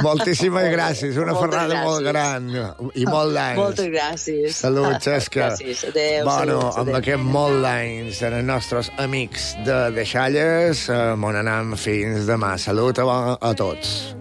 Moltíssimes gràcies, una ferrada molt gran i molt d'anys. Moltes gràcies. Salut, Xesca. Gràcies, adéu. Amb aquest molt d'anys en els nostres amics de Xalles, m'on anem fins demà. Salut a tots.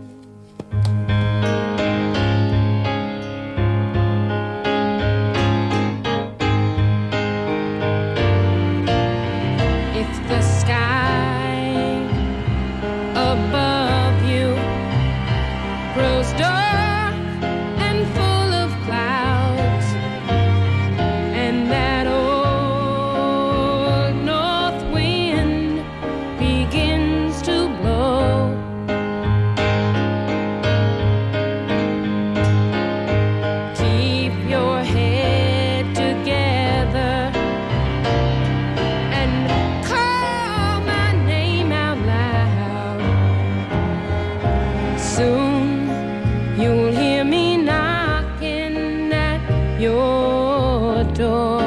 You'll hear me knocking at your door.